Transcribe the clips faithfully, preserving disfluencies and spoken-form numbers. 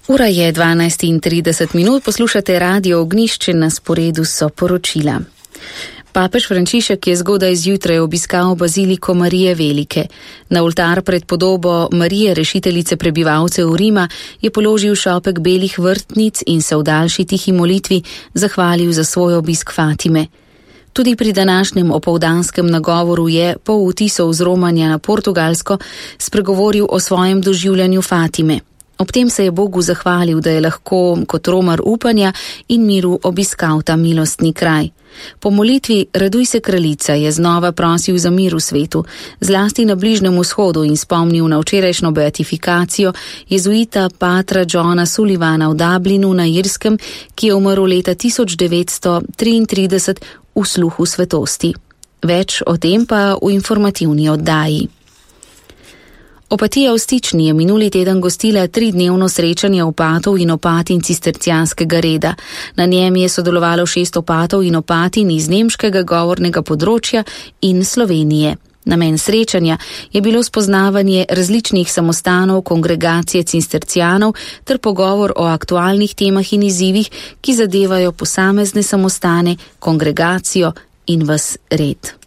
Ura je dvanajst in trideset minut, poslušate Radio Ognjišče, na sporedu so poročila. Papež Frančišek je zgodaj zjutraj obiskal baziliko Marije Velike. Na oltar pred podobo Marije, rešiteljice prebivalcev Rima, je položil šopek belih vrtnic in se v daljši tihi molitvi zahvalil za svoj obisk Fatime. Tudi pri današnjem opoldanskem nagovoru je po vtisov z romanja na Portugalsko spregovoril o svojem doživljanju Fatime. Ob tem se je Bogu zahvalil, da je lahko kot romar upanja in miru obiskal ta milostni kraj. Po molitvi Raduj se kraljica je znova prosil za mir v svetu, zlasti na Bližnjem vzhodu, in spomnil na včerajšnjo beatifikacijo jezuita patra Johna Sullivana v Dublinu na Irskem, ki je umrl leta tisoč devetsto triintrideset v sluhu svetosti. Več o tem pa v informativni oddaji. Opatija v Stični je minuli teden gostila tridnevno srečanje opatov in opatin cistercijanskega reda. Na njem je sodelovalo šest opatov in opatin iz nemškega govornega področja in Slovenije. Namen srečanja je bilo spoznavanje različnih samostanov kongregacije cistercijanov ter pogovor o aktualnih temah in izzivih, ki zadevajo posamezne samostane, kongregacijo in ves red.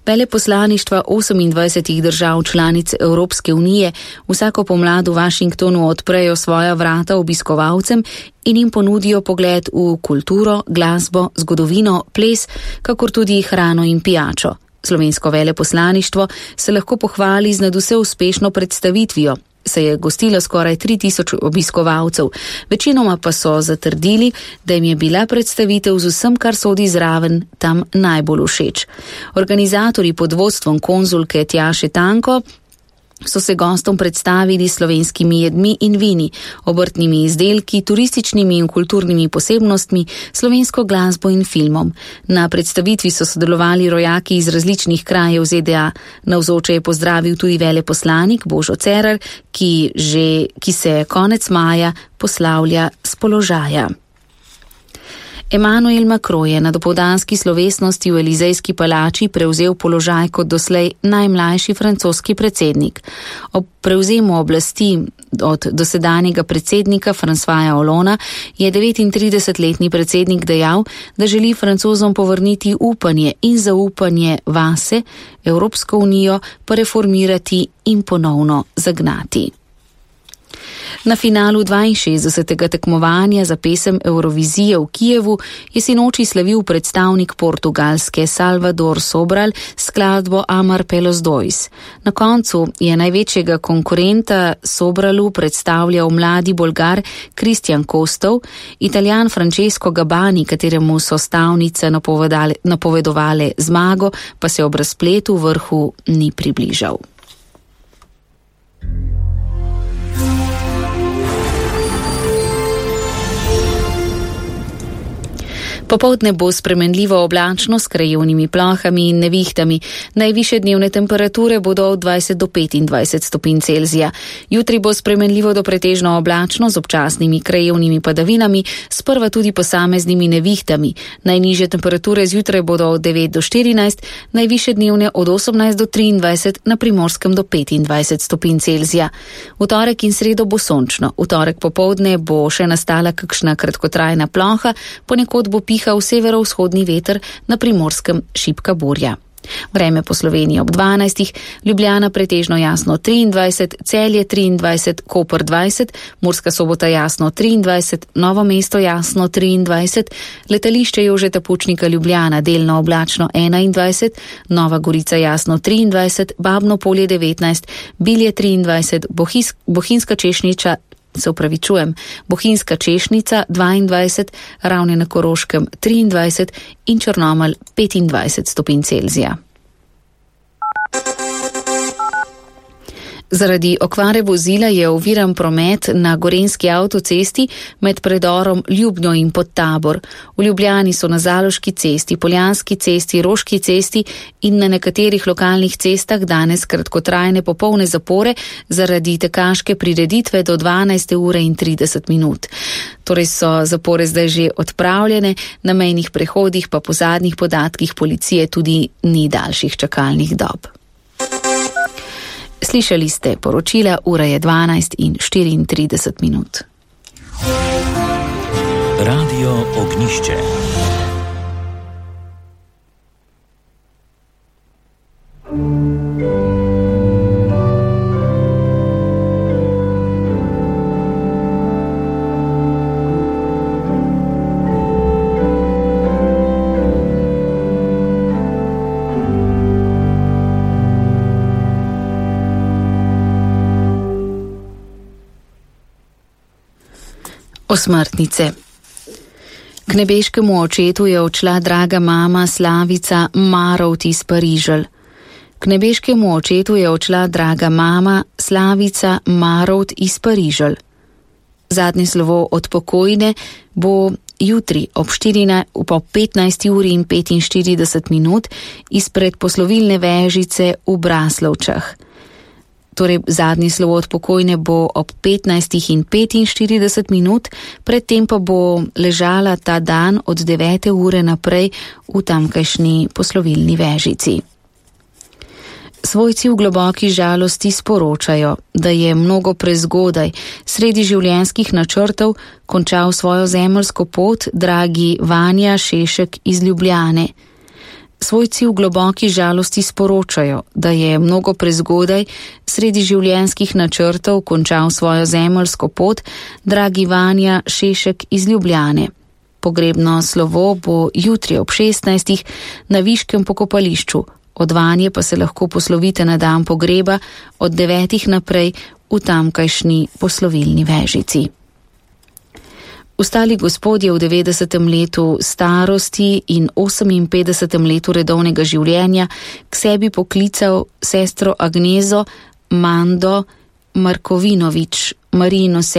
Veleposlaništva osemindvajsetih držav članic Evropske unije vsako pomlad v Washingtonu odprejo svoja vrata obiskovalcem in jim ponudijo pogled v kulturo, glasbo, zgodovino, ples, kakor tudi hrano in pijačo. Slovensko veleposlaništvo se lahko pohvali z nadvse uspešno predstavitvijo. Se je gostilo skoraj tri tisoč obiskovalcev, večinoma pa so zatrdili, da jim je bila predstavitev z vsem, kar sodi zraven, tam najbolj všeč. Organizatorji pod vodstvom konzulke Tjaše Tanko so se gostom predstavili slovenskimi jedmi in vini, obrtnimi izdelki, turističnimi in kulturnimi posebnostmi, slovensko glasbo in filmom. Na predstavitvi so sodelovali rojaki iz različnih krajev Z D A. Navzoče je pozdravil tudi veleposlanik Božo Cerar, ki, že, ki se konec maja poslavlja s položaja. Emmanuel Macron je na dopoldanski slovesnosti v Elizejski palači prevzel položaj kot doslej najmlajši francoski predsednik. Ob prevzemu oblasti od dosedanjega predsednika Françoisa Hollandea je devetintridesetletni predsednik dejal, da želi Francozom povrniti upanje in zaupanje vase, Evropsko unijo pa reformirati in ponovno zagnati. Na finalu dvainšestdesetega tekmovanja za pesem Eurovizije v Kijevu je sinoči slavil predstavnik Portugalske Salvador Sobral skladbo Amar pelos dois. Na koncu je največjega konkurenta Sobralu predstavljal mladi Bolgar Kristjan Kostov, Italijan Francesco Gabani, kateremu so stavnice napovedovale zmago, pa se ob razpletu vrhu ni približal. Popoldne bo spremenljivo oblačno s krajevnimi plohami in nevihtami. Najvišje dnevne temperature bodo od dvajset do petindvajset stopinj Celzija. Jutri bo spremenljivo do pretežno oblačno z občasnimi krajevnimi padavinami, sprva tudi posameznimi nevihtami. Najnižje temperature zjutraj bodo od devet do štirinajst, najvišje dnevne od osemnajst do triindvajset, na Primorskem do petindvajset stopinj Celzija. V torek in sredo bo sončno. V torek popoldne bo še nastala kakšna kratkotrajna ploha, ponekod bo pihal v severovzhodni veter, na Primorskem šibka burja. Vreme po Sloveniji ob dvanajstih, Ljubljana pretežno jasno triindvajset, Celje triindvajset, Koper dvajset, Murska Sobota jasno triindvajset, Novo mesto jasno triindvajset, letališče Jožeta Pučnika Ljubljana delno oblačno enaindvajset, Nova Gorica jasno triindvajset, Babno Polje devetnajst, Bilje triindvajset, Bohis, Bohinjska Češnjica se upravičujem, Bohinjska Češnica dvaindvajset, Ravne na Koroškem triindvajset in Črnomelj petindvajset stopinj Celzija. Zaradi okvare vozila je oviran promet na gorenjski avtocesti med predorom Ljubnjo in Podtabor. V Ljubljani so na Zaloški cesti, Poljanski cesti, Roški cesti in na nekaterih lokalnih cestah danes kratkotrajne popolne zapore zaradi tekaške prireditve do dvanajste ure in trideset minut. Torej so zapore zdaj že odpravljene, na mejnih prehodih pa po zadnjih podatkih policije tudi ni daljših čakalnih dob. Slišali ste poročila, ura je dvanajst in štiriintrideset minut. Radio Ognišče. Osmrtnice. K nebeškemu očetu je odšla draga mama Slavica Marovt iz Pariželj. K nebeškemu očetu je odšla draga mama Slavica Marovt iz Pariželj. Zadnje slovo od pokojne bo jutri ob petnajsti uri in petinštirideset minut izpred poslovilne vežice v Braslovčah. Torej, zadnji slovo od pokojne bo ob petnajstih in petinštirideset minut, predtem pa bo ležala ta dan od devete ure naprej v tamkajšnji poslovilni vežici. Svojci v globoki žalosti sporočajo, da je mnogo prezgodaj sredi življenjskih načrtov končal svojo zemeljsko pot dragi Vanja Šešek iz Ljubljane. Svojci v globoki žalosti sporočajo, da je mnogo prezgodaj sredi življenjskih načrtov končal svojo zemeljsko pot dragi Vanja Šešek iz Ljubljane. Pogrebno slovo bo jutri ob šestnajstih na Viškem pokopališču, od Vanje pa se lahko poslovite na dan pogreba od devetih naprej v tamkajšnji poslovilni vežici. Ostali gospodje v devetdesetem letu starosti in oseminpetdesetem letu redovnega življenja k sebi poklical sestro Agnezo Mando Markovinovič, Marijino